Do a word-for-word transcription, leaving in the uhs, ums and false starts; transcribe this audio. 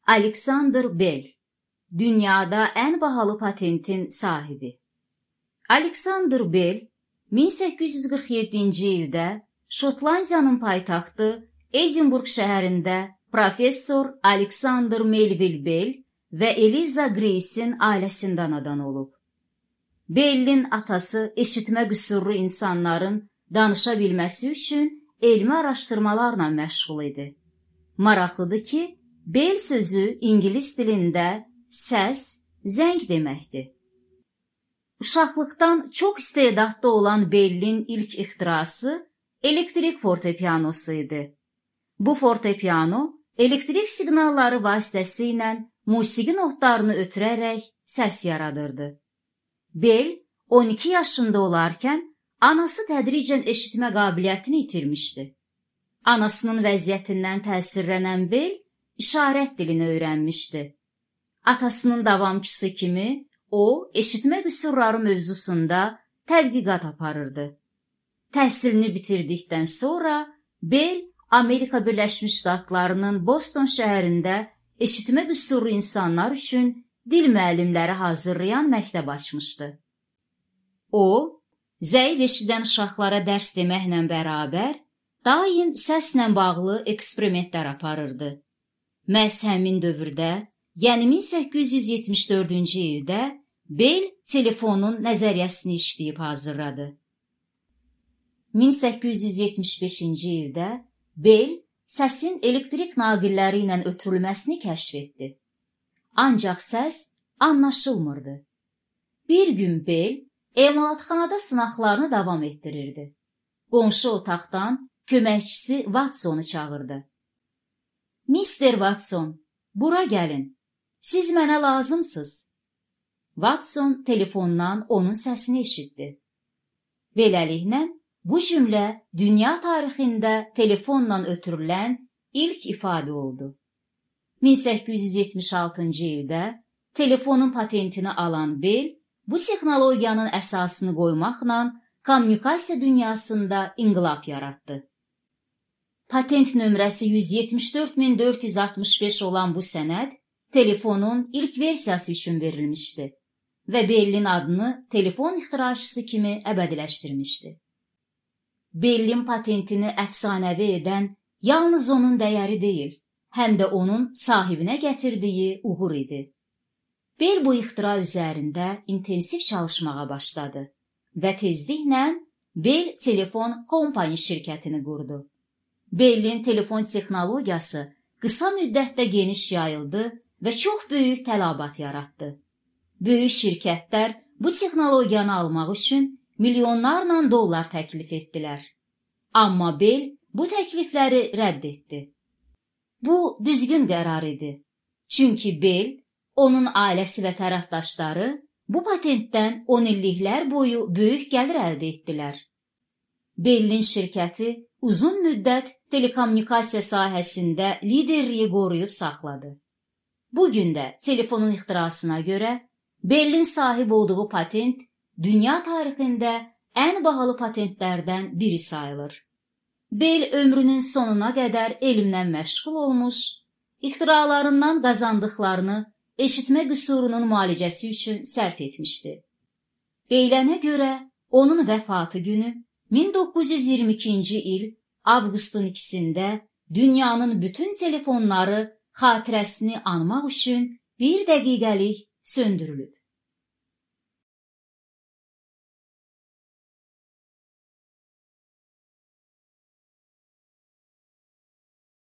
Alexander Bell, dünyada ən bahalı patentin sahibi. Alexander Bell, min səkkiz yüz qırx yeddinci ildə Şotlandiyanın paytaxtı Edinburgh şəhərində professor Alexander Melville Bell və Eliza Grace'in ailəsində anadan olub. Bellin atası eşitmə qüsurlu insanların danışa bilməsi üçün elmi araşdırmalarla məşğul idi. Maraqlıdır ki, Bell sözü ingilis dilində səs, zəng deməkdir. Uşaqlıqdan çox istedadlı olan Bellin ilk ixtirası elektrik fortepianosu idi. Bu fortepiano elektrik siqnalları vasitəsilə musiqi notlarını ötürərək səs yaradırdı. Bell on iki yaşında olarkən anası tədricən eşitmə qabiliyyətini itirmişdi. Anasının vəziyyətindən təsirlənən Bell işarət dilini öyrənmişdi. Atasının davamçısı kimi o, eşitmə qüsurları mövzusunda tədqiqat aparırdı. Təhsilini bitirdikdən sonra Bell Amerika Birləşmiş Ştatlarının Boston şəhərində eşitmə qüsurlu insanlar üçün dil müəllimləri hazırlayan məktəb açmışdı. O, zəif eşidən uşaqlara dərs deməklə bərabər, daim səslə bağlı eksperimentlər aparırdı. Məhz həmin dövrdə, yəni min səkkiz yüz yetmiş dördüncü ildə Bell telefonun nəzəriyyəsini işləyib hazırladı. min səkkiz yüz yetmiş beşinci ildə Bell səsin elektrik naqilləri ilə ötürülməsini kəşf etdi. Ancaq səs anlaşılmırdı. Bir gün Bell emalatxanada sınaqlarını davam etdirirdi. Qonşu otaqdan köməkçisi Watsonu çağırdı. Mister Watson, bura gəlin. Siz mənə lazımsınız. Watson telefondan onun səsini eşitdi. Beləliklə, bu cümlə dünya tarixində telefonla ötürülən ilk ifadə oldu. min səkkiz yüz yetmiş altıncı ildə telefonun patentini alan Bell, bu texnologiyanın əsasını qoymaqla kommunikasiya dünyasında inqilab yaratdı. Patent nömrəsi yüz yetmiş dörd min dörd yüz altmış beş olan bu sənəd telefonun ilk versiyası üçün verilmişdi və Bellin adını telefon ixtiraçısı kimi əbədiləşdirmişdi. Bellin patentini əfsanəvi edən yalnız onun dəyəri deyil, həm də onun sahibinə gətirdiyi uğur idi. Bell bu ixtira üzərində intensiv çalışmağa başladı və tezliklə Bell Telefon Company şirkətini qurdu. Bellin telefon texnologiyası qısa müddətdə geniş yayıldı və çox böyük tələbat yaratdı. Böyük şirkətlər bu texnologiyanı almaq üçün milyonlarla dollar təklif etdilər. Amma Bell bu təklifləri rədd etdi. Bu düzgün qərar idi. Çünki Bell, onun ailəsi və tərəfdaşları bu patentdən on illiklər boyu böyük gəlir əldə etdilər. Bellin şirkəti uzun müddət telekommunikasiya sahəsində liderliyi qoruyub saxladı. Bugün də telefonun ixtirasına görə Bellin sahib olduğu patent dünya tarixində ən bahalı patentlərdən biri sayılır. Bell ömrünün sonuna qədər elmlə məşğul olmuş, ixtiralarından qazandıqlarını eşitmə qüsurunun müalicəsi üçün sərf etmişdi. Deyilənə görə onun vəfatı günü min doqquz yüz iyirmi ikinci il avqustun ikisində dünyanın bütün telefonları xatirəsini anmaq üçün bir dəqiqəlik söndürülüb.